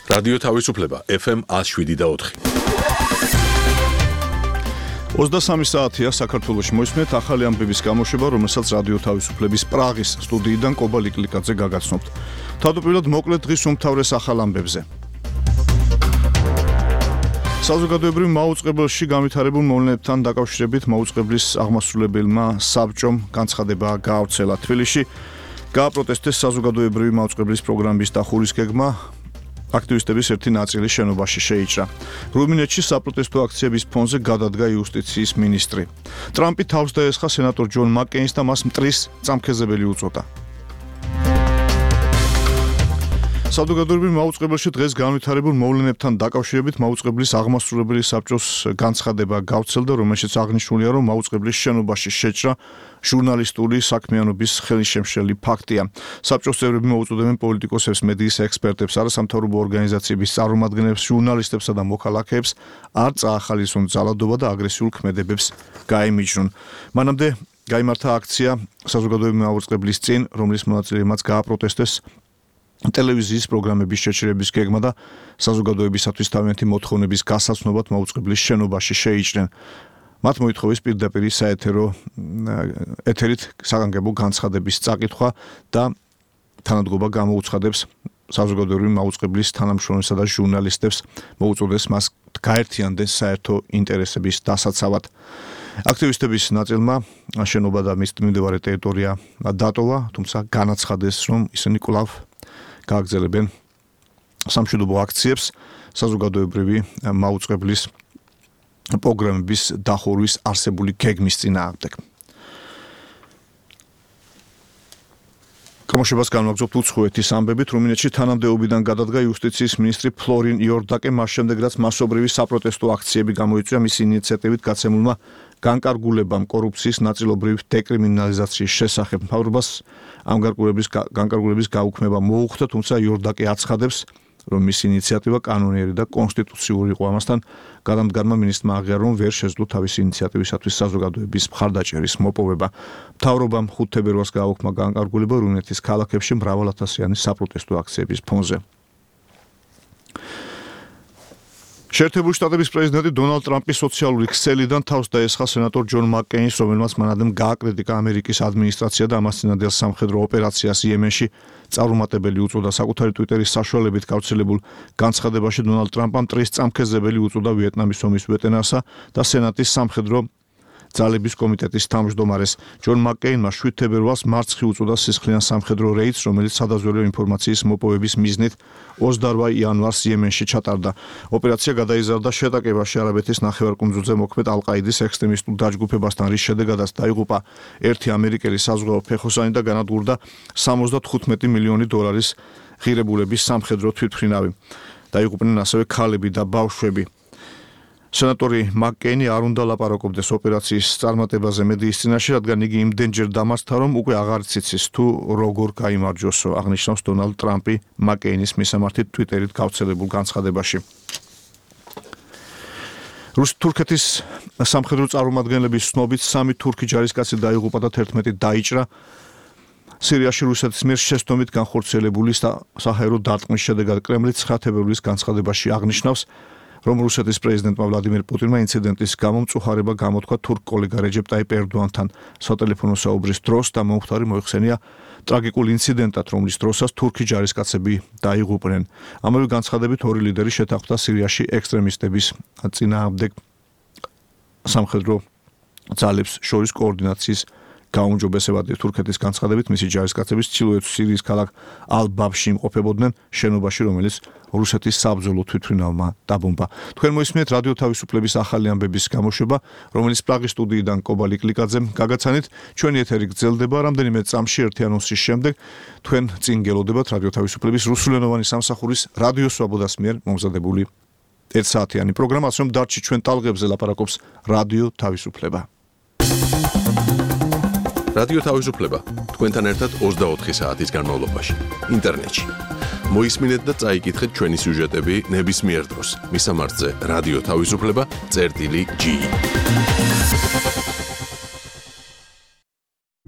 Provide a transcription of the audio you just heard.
რადიო თავისუფლება FM 107.4. 23 საათია საქართველოში მოისმენთ ახალი ამბების გამოშვება, რომელსაც რადიო თავისუფლების პრაღის სტუდიიდან კობა ლიკლიკაძე გაგაცნობთ. თავდაპირველად მოკლედ დღის უმთავრეს ახალ ამბებზე. საზოგადოებრივ მაუწყებელში განვითარებულ მოვლენებთან დაკავშირებით მაუწყებლის აღმასრულებელმა საბჭომ განცხადება გაავრცელა. თბილისში გააპროტესტეს საზოგადოებრივი მაუწყებლის პროგრამის დახურვის გეგმა. აქტივისტების ერთი ნაწილი შენობაში შეიჭრა. რუმინეთში საპროტესტო აქციების ფონზე გადადგა იუსტიციის მინისტრი. ტრამპი თავს დაესხა სენატორ ჯონ მაკკეინს და მას მტრის წამქეზებელი უწოდა. საზოგადოებრივ მაუწყებელში დღეს განვითარებულ მოვლენებთან დაკავშირებით მაუწყებლის აღმასრულებელი საბჭოს განცხადება გავრცელდა, რომელშიც აღნიშნულია, რომ მაუწყებლის შენობაში შეჭრა ჟურნალისტური საქმიანობის ხელისშემშლელი ფაქტია. საბჭოს წევრები მოუწოდებენ პოლიტიკოსებს, მედიის ექსპერტებს, არასამთავრობო ორგანიზაციების წარმომადგენლებს, ჟურნალისტებსა და მოქალაქეებს არ წაახალისონ ძალადობა და აგრესიულ ქმედებებს გაემიჯნონ. მანამდე გაიმართა აქცია საზოგადოებრივი მაუწყებლის წინ, რომლის მონაწილეებმაც გააპროტესტეს ტელევიზიის პროგრამების შეჩერების გეგმა და საზოგადოებისათვის თავიანთი მოთხოვნების გასაცნობად მაუწყებლის შენობაში შეიჭრნენ. მათ მოითხოვეს პირდაპირ საეთერო ეთერით საგანგებო განცხადების წაკითხვა და თანადგობა გამოუცხადებს საზოგადოებრივი მაუწყებლის თანამშრომლებს და ჟურნალისტებს, მოუწოდეს მას გაერთიანდეს საერთო ინტერესების დასაცავად. აქტივისტების ნაწილმა შენობა და მის მიმდებარე ტერიტორია დატოვა, თუმცა განაცხადეს, რომ ისინი კვლავ გააგრძელებენ სამშვიდობო აქციებს საზოგადოებრივი მაუწყებლის პროგრამების დახურვის არსებული გეგმის წინააღმდეგ. გამოშვებას განვაგრძობთ უცხოეთის ამბებით. რუმინეთში თანამდებობიდან გადადგა იუსტიციის მინისტრი ფლორინ იორდაკე, მას შემდეგ რაც მასობრივი საპროტესტო აქციები გამოიწვია მისი ინიციატივით გაცემულმა განკარგულებამ კორუფციის ნაწილობრივ დეკრიმინალიზაციის შესახებ. მთავრობას ამ განკარგულების გაუქმება მოუხდა, თუმცა იორდაკე აცხადებს, რომ მისი ინიციატივა კანონიერი და კონსტიტუციური იყო. ამასთან გადამდგარმა მინისტრმა აღიარა, რომ ვერ შეძლო თავისი ინიციატივისათვის საზოგადოების მხარდაჭერის მოპოვება. მთავრობამ 5 თებერვალს გააუქმა განკარგულება რუმინეთის ქალაქებში მრავალათასიანი საპროტესტო აქციების ფონზე. შეერთებული შტატების პრეზიდენტი დონალდ ტრამპი სოციალური ქსელიდან თავს დაესხა სენატორ ჯონ მაკკეინს, რომელმაც მანამდე გააკრიტიკა ამერიკის ადმინისტრაცია და ამას წინადელ სამხედრო ოპერაციას იემენში წარუმატებელი უწოდა. საკუთარი ტვიტერის საშუალებით გავრცელებულ განცხადებაში დონალდ ტრამპმა მტრის წამქეზებელი უწოდა ვიეტნამის ომის ვეტერანსა და სენატის სამხედრო ძალების კომიტეტის თავმჯდომარეს. ჯონ მაკკეინმა 7 თებერვალს მარცხი უწოდა სისხლიან სამხედრო რეიდს, რომელიც სადაზვერვო ინფორმაციის მოპოვების მიზნით 28 იანვარს იემენში ჩატარდა. ოპერაცია გადაიზარდა შეტაკებაში არაბეთის ნახევარკუნძულზე მოქმედ ალ-ყაიდის ექსტრემისტულ დაჯგუფებასთან, რის შედეგადაც დაიღუპა ერთი ამერიკელი საზღვაო ფეხოსანი და განადგურდა 75 მილიონი დოლარის ღირებულების სამხედრო თვითმფრინავი. დაიღუპნენ ასევე ქალები და ბავშვები. სენატორი მაკკეინი არ უნდა ლაპარაკობდეს ოპერაციის წარმატებაზე მედიის წინაშე, რადგან იგი იმდენჯერ დამარცხდა, რომ უკვე აღარ ციცის თუ როგორ გაიმარჯვოსო, აღნიშნავს დონალდ ტრამპი მაკკეინის მისამართით ტვიტერით გავრცელებულ განცხადებაში. თურქეთის სამხედრო წარმომადგენლების ცნობით 3 თურქი ჯარისკაცი დაიღუპა და 11 დაიჭრა. სირიაში რუსეთის მიერ შეცდომით განხორციელებული საჰაერო დარტყმის შედეგად კრემლი 9 თებერვლის განცხადებაში აღნიშნავს, რომ რუსეთის პრეზიდენტმა ვლადიმერ პუტინმა ინციდენტის გამო მწუხარება გამოთქვა თურქ კოლეგა რეჯეპ ტაიპ ერდოანთან სატელეფონო საუბრის დროს და მომხდარი მოიხსენია ტრაგიკულ ინციდენტად, რომლის დროსაც თურქი ჯარისკაცები დაიღუპნენ. ამავე განცხადებით ორი ლიდერი შეთანხმდა სირიაში ექსტრემისტების წინააღმდეგ სამხედრო ძალებს შორის კოორდინაციის გაუმჯობესებად. თურქეთის განცხადებით მისი ჯარისკაცები ჩრდილოეთ სირიის ქალაქ ალ-ბაბში იმყოფებოდნენ, შენობაში, რომელიც რუსეთის საბრძოლო თვითმფრინავმა დაბომბა. თქვენ მოისმენთ რადიო თავისუფლების ახალი ამბების გამოშვება, რომელიც პრაღის სტუდიიდან კობა ლიკლიკაძემ გაგაცანით. ჩვენი ეთერი გრძელდება რამდენიმე წამში ერთი ანონსის შემდეგ. თქვენ წინ გელოდებათ რადიო თავისუფლების რუსულენოვანი სამსახურის რადიო სვაბოდას მიერ მომზადებული 1 საათიანი პროგრამა, რომ დარჩი ჩვენ ტალღებზე ლაპარაკობს რადიო თავისუფლება. რადიო თავისუფლება თქვენთან ერთად 24 საათის განმავლობაში ინტერნეტში. მოისმინეთ და წაიკითხეთ ჩვენი სიუჟეტები ნებისმიერ დროს. მისამართზე რადიო თავისუფლება წერტილი G.